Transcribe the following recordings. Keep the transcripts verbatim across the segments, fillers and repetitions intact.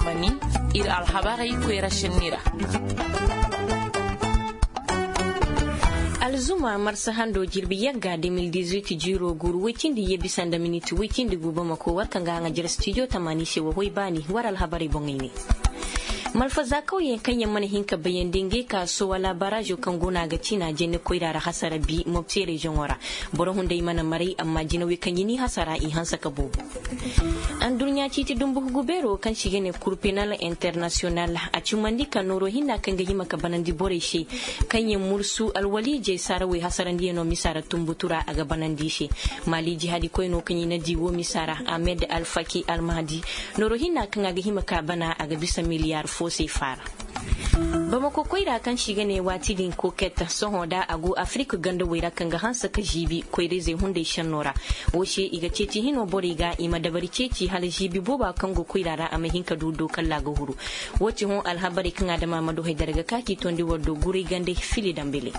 Mani, iri alhabarey koyra senni ra. Alzuma marsa hando jirbi yagga deux mille dix-huit jiiro guuru woy cindi ye bisa nda miniti woy cindi gu bamako war kaŋ ga haŋa jere stijo tamaani se wa hoy baani war alhabarey boŋey ne. Malfaza kawyaŋ kaŋ yaŋ mana hin ka bayandi ngey ka sowala barazo kaŋ go no a ga cina jenne koyra ra hasara bi mopti reziyoŋo ra. Boro hunday mana maray amma jinawey kaŋ i n'i hasara i hanse ka boobo. Anduɲɲa ciiti dumbu hugu beero kaŋ se i ga ne kurpenal internasiyonal a cumandi ka nooro hinna kaŋ ga hima ka banandi borey se kaŋ yaŋ mursu alwaliijey saarawey hasarandiyaŋo misa ra tumbutu ra a ga banandi i se. Maali jihaadi koyno kaŋ i na di wo misa ra ahmed alfaki almahdi nooro hinna kaŋ a ga hima ka bana a ga bisa miliyaar fo se faara. Bamako koyra kaŋ se i ga ne waati din koket sohõ da a go afirika gandawey ra kaŋ ga hanse ka ziibi koyra-izey hunday senno ra. Wo se i ga ceeci hino borey ga i ma dabari ceeci hala ziibi booba kaŋ go koyra ra a ma hin ka du do kalla a ga huru. Wo ti hõ alhabarey kaŋ a dama ma du haydara ga ka k'i tondi war do guray gande fili dambele.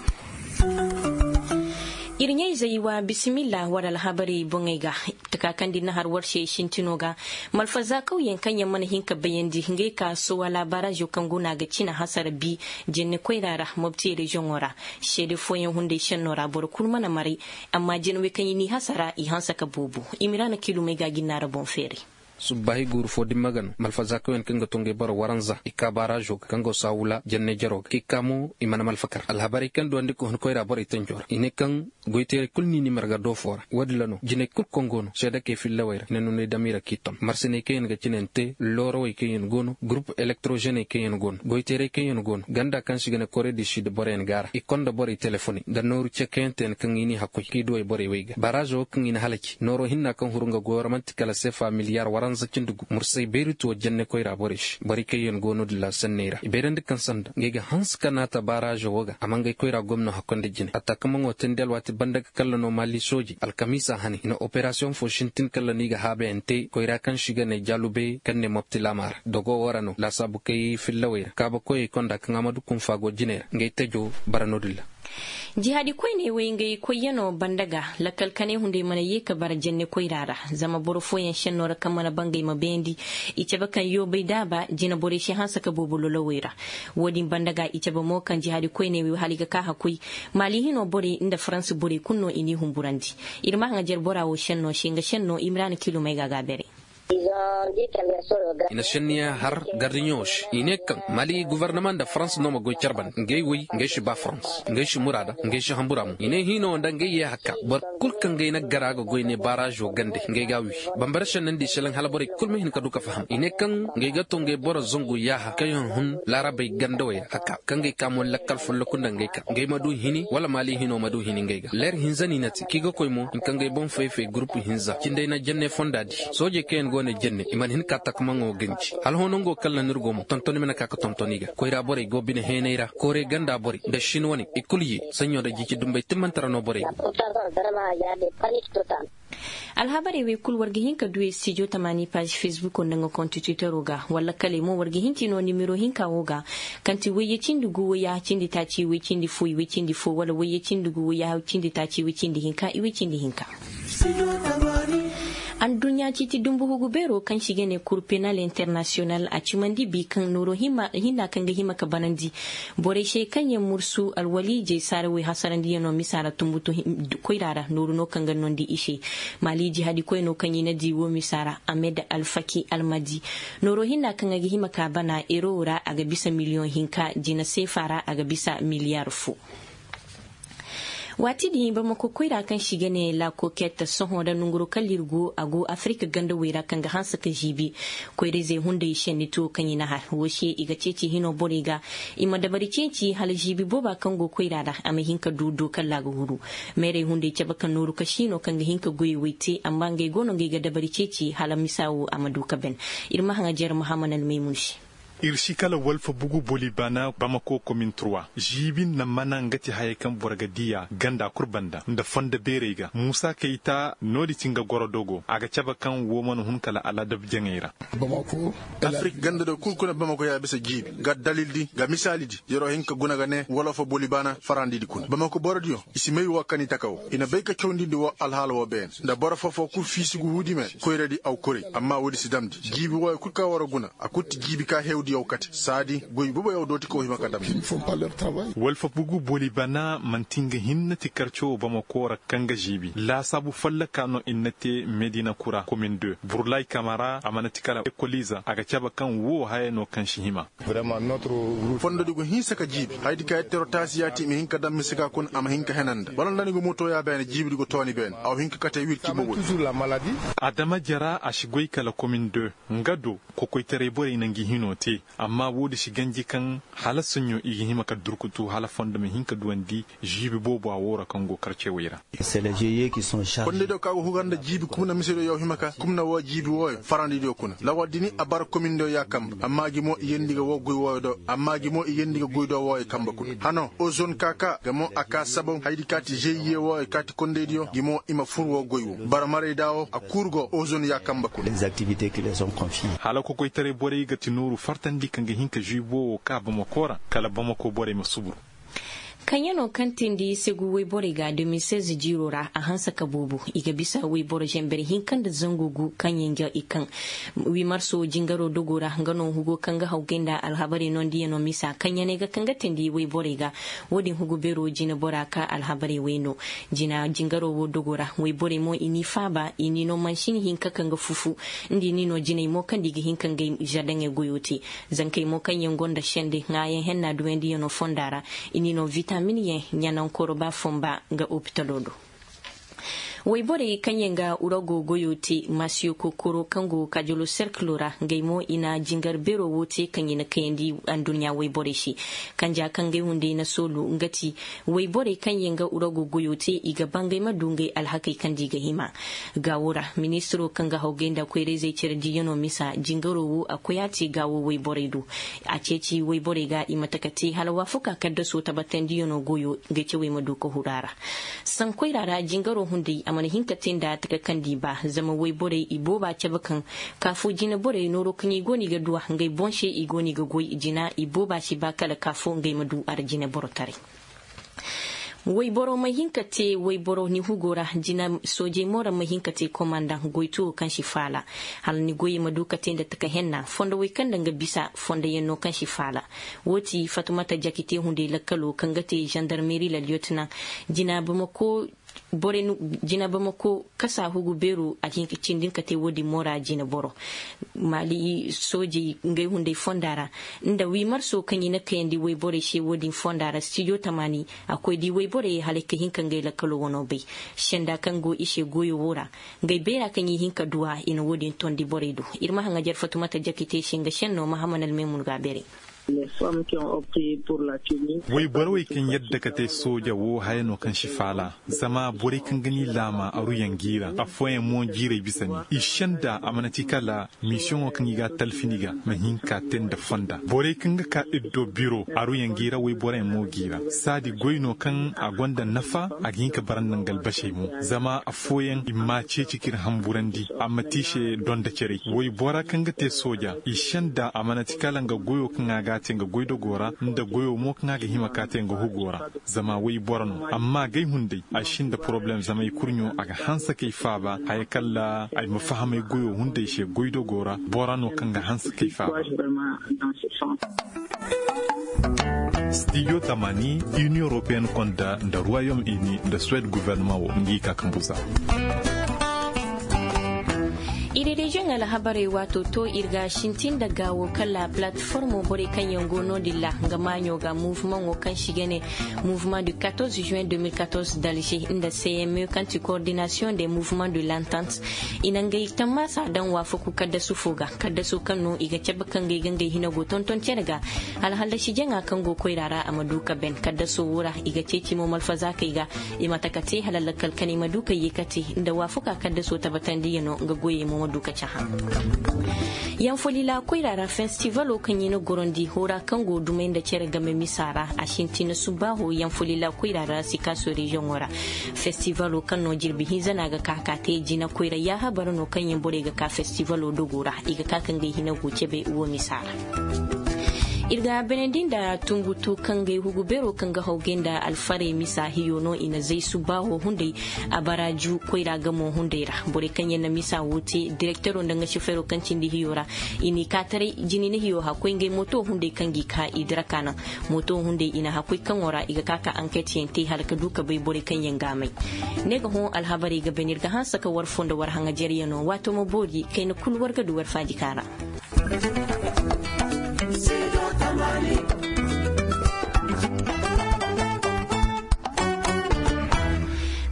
Iri ɲayzey wa bisimilla war alhabarey boŋey ga. Taka kaŋ da iri na har war se sintino ga malfaza kawyaŋ kaŋ yaŋ mana hin ka bayandi ngey ka sowala barazo kaŋ go no a ga cina hasara bi jenne koyra ra mopti reziyoŋo ra. Seede fooyaŋ hunday senno ra boro kulu mana maray. Amma jinawey kaŋ i n'i hasara i hanse ka boobo. Imiraana kiilumey ga jinnaara boŋ feeray. Subbaahi guuru fo dimma ga no malfaza kawyaŋ kaŋ ga to ngey boro waranza i ka barazo ga kaŋ go saawula jenne jaro ga k'i ka mo i mana malfakar alhabarey kaŋ duwandi ka hun koyra borey tanjo ra i ne kaŋ goyteeray kulu n'i ni marga doofo ra wo- din ra no jinay kulu kaŋ go no seedakey fillawey ra i na nunay damiira k'i ton marsaney kaŋ yaŋ ga cine yaŋ te loorawey kaŋ yaŋ go no gurupu elektrozeney kaŋ yaŋ go no goyteeray kaŋ yaŋ go no ganda kaŋ se i ga ne kore du sid boroyaŋ go a ra i konda borey telefoney nda nooru ce kaŋ yaŋ te yaŋ kaŋ i n'i hakkoy k'i duw'ey borey wey ga baraazo wo kaŋ i na halaci nooro hinna kaŋ huru nga goyo ra manti kala seefa miliyaar waranza cindi gu mursay beeri tuwo jenne koyra borey se borey kaŋ yaŋ go no- din ra sanney ra i bayrandi kaŋ sanda ngey ga hanse ka naata baraazo wo ga a ma ngey koyra gomno hakkoy nda jine a taakamaŋo teendi alwaati banda ga kalla no maali soojey alkamiisa hane i na operasiyoŋ fo sintin kalla no i ga haabayaŋ te koyra kaŋ se i ga ne jaalube kaŋ ne mopti laama ra dogo wo ra no laasaabu kay fillawey ra kaabakoyey konda kaŋ a ma du kunfa go jiney ra ngey tajo bara no- din ra. Jihaadi koyney wey ngey koyyaŋo banda ga lakkal kanay hunday mana ye ka bara jenne koyra ra zama boro fooyaŋ senno ra kaŋ mana bangay ma bayandi i cabe kaŋ yoobay daaba jina borey se hanse ka boobo lolowey ra. Wo- din banda ga i cabe mo kaŋ jihaadi koyney wey hala i ga ka hakkoy maali hino borey nda faransa borey kulu no i n'i humburandi. Iri ma haŋajer bora wo senno se nga senno imiraana kiilumey ga a ga a beeray. I na senniyaŋ har gardiɲo se i ne kaŋ mali gofornama nda farans no ma goy care banda ngey wey ngey si ba farans ngey si muraada ngey si hambura mo i ne hiino nda ngey ye hakka boro kulu kaŋ ngey na gara ga goy ne baarazo gande ngey ga a wi. Bambara sennandi selaŋ hala borey kulu ma hin ka du ka faham i ne kaŋ ngey ga to ngey boro zangu yaaha kaŋ yaŋ hun laarabey gandawey ra hakka kaŋ ngey ka mo lakkal folloku nda ngey ka ngey ma du hini wala mali hino ma du hini ngey ga leer hinza no i na te kaŋ i ga koy mo hinka ngey boŋ fay-fay gurupu hinza cindey na jenne fonda di soojey kaŋ yaŋ go ne jenne i mana hin ka takamaŋo ganji hala hõ nango kaŋ ra no iri go mo tonton i mana ka ga tonton i ga koyra borey go bine heenay ra koore ganda borey nda shin wane i kulu ye saɲɲo nda jiici dumbey timmante ra no borey go. Alhabarey wey kulu war ga hin ka du studio tamaani paazi fesbuko nda nga konti twittero ga wala kale mo war ga hin ti no nimero hinka wo ga kaŋ ti wayye cindi gu wayyaha cindi taaci way cindi fo i way cindi fo wala wayye cindi gu wayyaha cindi taaci way cindi hinka i way cindi hinka. Anduɲɲa ciiti dumbu hugu beero kaŋ se i ga ne kur penal internasiyonal a cimandi bi kaŋ nooro hinna kaŋ ga hima ka banandi borey se kaŋ yaŋ mursu alwaliijey saarawey hasarandiyaŋo misa ra tumbutu koyra ra nooru no kaŋ ga nondi i se. Maali jihaadi koyno kaŋ i na di wo misa ra ahmed alfaki almadi nooro hinna kaŋ a ga hima ka bana euro ra a ga bisa miliyoŋ hinka jina seefa ra a ga bisa miliyaar fo. Waati din bamako koyra kaŋ se i ga ne la kokette sohõ nda nanguro kaŋ lirgo a go afirika gandawey ra kaŋ ga hanse ka ziibi koyra-izey hunday senni tuwo kaŋ i na har wo se i ga ceeci hino borey ga i ma dabari ceeci hala ziibi booba kaŋ go koyra ra a ma hin ka du do kalla a ga huru. Meerey hunday cabe ka nooru ka siino kaŋ ga hin ka goyey wey te amma ngey go no ngey ga dabari ceeci hala misa wo a ma du ka ban. Iri ma haŋajer muhammad almaymun se. Iri si kala walfa bugu boli bana bamako komin trois ziibi nda mana nga ti hayey kaŋ boro ga diya ganda kulu banda nda fondo beerey ga muusa kayta no- din ti nga goro dogo a ga cabe kaŋ wo mana hun kala alaadab jaŋey ra. Afirika ganda do kulu kuna bamako ya bisa jiibi ga dalil di ga misaali di yaro hin ka guna ga ne walfa boli bana farandi di kuna bamako boro diyo i si may wo kaŋ i taka wo i na bay ka cawndi nda wo alhaala wo beene nda boro fo fo kulu fiisi ga huudi me koyra di aw kuray amma wo- din si damndi jiibi wooyo kulu kaŋ wara guna a kulu ti jiibi ka hewdiyaw kate saadi goy boboyaw dooti kaw hima ka damndi. Walfa bugu boli bana manti nga hinne ti karco wo bamako ra kaŋ ga ziibi laasaabu folloka no i na te medina kura komin deux burlay kamara a mana ti kala ekoliiza a ga cabe kaŋ wo haya no kaŋ si hima. Fondo di go hinsa ka jiibi haydi ka yatteero taasi yaati i ma hin ka daŋ mise ga kuna a ma hin ka hena nda wala nda ni go mooto ya beene jiibi di go tooni beene a wo hin ka kate wirci bobo. Adama jara a si goy kala komin deux nga do kokoytaray borey na ngi hino te amma wo- din si ganji kaŋ hala soɲõ i ga hima ka durkutu hala fondo ma hin ka duwandi ziibi boobo a wo ra kaŋ go karcewey ra. Kondaydiyo kaŋ a go hugar nda jiibi kumna misediyo yaw hima ka kumna wo jiibi wooyo farandidiyo kuna lawal dini a bara komindiyo ya kambe amma gi mo i yeendi ga wo goy wooyo do amma gi mo i yeendi ga goy do wooyo kambe kuna hano ozon ka ka ga mo a ka sabaw haydi kaati zeyiye wooyo kaati kondaydiyo gi mo i ma fur wo goy wo bara marayda wo a kuuru go ozon ya kambe kuna. Hala kokoytaray borey ga ti nooru fartandi kaŋ ga hin ka ziibo wo ka bamako ra kala bamako borey ma suburu. Kaŋ yaŋ no kaŋ tindi segu wayborey ga deux mille seize jiiro ra a hanse ka boobo i ga bisa wayboro zamber hinka nda zangu gu kaŋ yaŋ ga i kaŋ wiimarso jingaro dogo ra nga no hugo kaŋ ga hawgay nda alhabarey nondiyano misa kaŋ yaŋ ay ga kaŋ ga tindi wayborey ga wo- din hugu beero jina bora ka alhabarey wayno jina jingaro wo dogo ra wayborey mo i n'i faaba i n'i no mansin hinka kaŋ ga fufu nda i n'i no jinay mo kaŋ nda i ga hin ka ngey zardaŋey goyo te. Zankey mo kaŋ yaŋ gonda sende ŋaayaŋ henna duwandiyano fonda ra i n'i no vitamin yaŋ ɲanaŋ koroba fonba nga opitalo do. Wayborey kaŋ yaŋ ga urago goyo te masiyo kokoro kaŋ go kajolo serkilo ra ngey mo i na jingar beero wo te kaŋ i na kayandi anduɲɲa wayborey se. Kanja kaŋ ngey hunday na soolu nga ti wayborey kaŋ yaŋ ga urago goyo te i ga bangay ma du ngey alhakey kaŋ di ga hima. Gaawo ra ministiro kaŋ ga hawgay nda koyrayzey care diyano misa jingaro wo a koy a te gaawo wayborey do. A ceeci wayborey ga i ma taka te hala waafaku a kaddaso tabbatandiyano goyo ngey cawey ma du ka huru a ra. Sankoyra ra jingaro hunday a mana hin ka te nda taka kaŋ di ba zama wayborey i booba cabe kaŋ kaafo jine borey nooro kaŋ i go no i ga duwa ngey boŋ se i go no i ga goy jina i booba si ba kala kaafo ngey ma du a ra jine boro taray. Wayboro ma hin ka te wayboro ni hugo ra jina soojey mo ra ma hin ka te komandaŋ goytuwo kaŋ si faala hala ni goyey ma du ka te nda taka henna fondo way kaŋ nda nga bisa fondo yaŋ no kaŋ si faala. Wo ti fatumata jakite hunday lakkalo kaŋ ga te zandarmeri la liyotina jina bamako borey no jina bamako kasa hugu beeru a ga hin ka cindi nga ka te wo- din mo ra jina boro. Maali soojey ngey hunday fonda ra nda wiimarso kaŋ i na kayandi wayborey se wo- din fonda ra stijo tamaani a koy di wayborey hala ay ka hin ka ngey lakkalo wano bay. Senda kaŋ go i se goyo wo ra ngey bayra kaŋ i hin ka duwa i na wo- din tondi borey do. Iri ma haŋajer fatumata jakite se nga senno mahaman almay mun ga a beeray. Wayborey kaŋ yadda ka te sooja wo haya no kaŋ si faala zama borey kaŋ ga ni laama aruyaŋ gi ra afooyaŋ mo jiirey bisa ni i senda a mana ti kala misiyoŋo kaŋ i ga a talfi ni ga ma hin ka te nda fonda borey kaŋ ga ka iri do biro aruyaŋ gi ra wayborey mo gi ra saadi goy no kaŋ a gonda nafa a ga hin ka bara nda nga albasey mo zama afooyaŋ i ma a ceeci k'iri hamburandi a ma te i se donda care waybora kaŋ ga te sooja i senda a mana ti kala nga goyo kaŋ a ga a te nga goydogo ra nda goyo mo kaŋ a ga hima ka te nga hugo ra. Zama waybora no amma gay hunday ay sinda poroblem zama ay kurɲo a ga hanse kay faaba haya kala ay ma fahamay goyo hunday se goydogo ra bora no kaŋ ga hanse kay faaba. Stijo tamani, union européenne konda nda royaume uni nda suwed gouvernement wo ngi ka kambuza. Iri reziyoŋ alhabarey waato to iri ga sintin nda gaawo kala platformo borey kaŋ yaŋ go no- din ra nga maaɲo ga mouvement wo kaŋ si ga ne mouvement du quatorze juin deux mille quatorze d'alger nda cme kaŋ ti coordination des mouvements de l'entente. I na ngey tammaasa daŋ waafaku kaddasu fo ga kaddaso kaŋ no i ga cabe kaŋ ngey ga ngey hina go tonton cere ga. Alhallasi jaŋa kaŋ go koyra ra a ma du ka ben kaddaso wo ra i ga ceeci mo malfazaakey ga. I ma taka te hala lakkal kanay ma du ka ye ka te nda waafaku a kaddaso tabbatandiyano nga goyey mo ma. Duka caha. Yanfolila koyra ra festivalo kaŋ i na gorondi hora kaŋ go dumay nda care game misa ra a sintina subbaaho yanfolila koyra ra sikaso reziyoŋo ra. Festivalo kaŋ no jirbi hinza no a ga ka ka te jina koyra yaaha bara no kaŋ yaŋ borey ga ka festivalo dogo ra i ga ka ka ngey hina go cabe wo misa ra. Iri ga beenandi nda tungutu kaŋ ga ay hugu beero kaŋ ga haw gay nda alfarey misa hiyo no i na zay subbaaho hunday. A bara ju koyra gamo hunday ra borey kaŋ yaŋ na misa wo te direktero nda nga sifero kaŋ cindi hiyo ra. I n'i ka taray jini na hiyo hakkoy ngey mooto hunday kaŋ g'i ka i dira ka naŋ. Mooto hunday i na hakkoy kaŋo ra i ga ka ka anket yaŋ te hala ka du ka bay borey kaŋ yaŋ ga a may. Ne ga hõ alhabarey ga been'iri ga hanse ka war fo nda war haŋajeeryaŋo waato ma boori kayna kulu war ga du war faajika ra.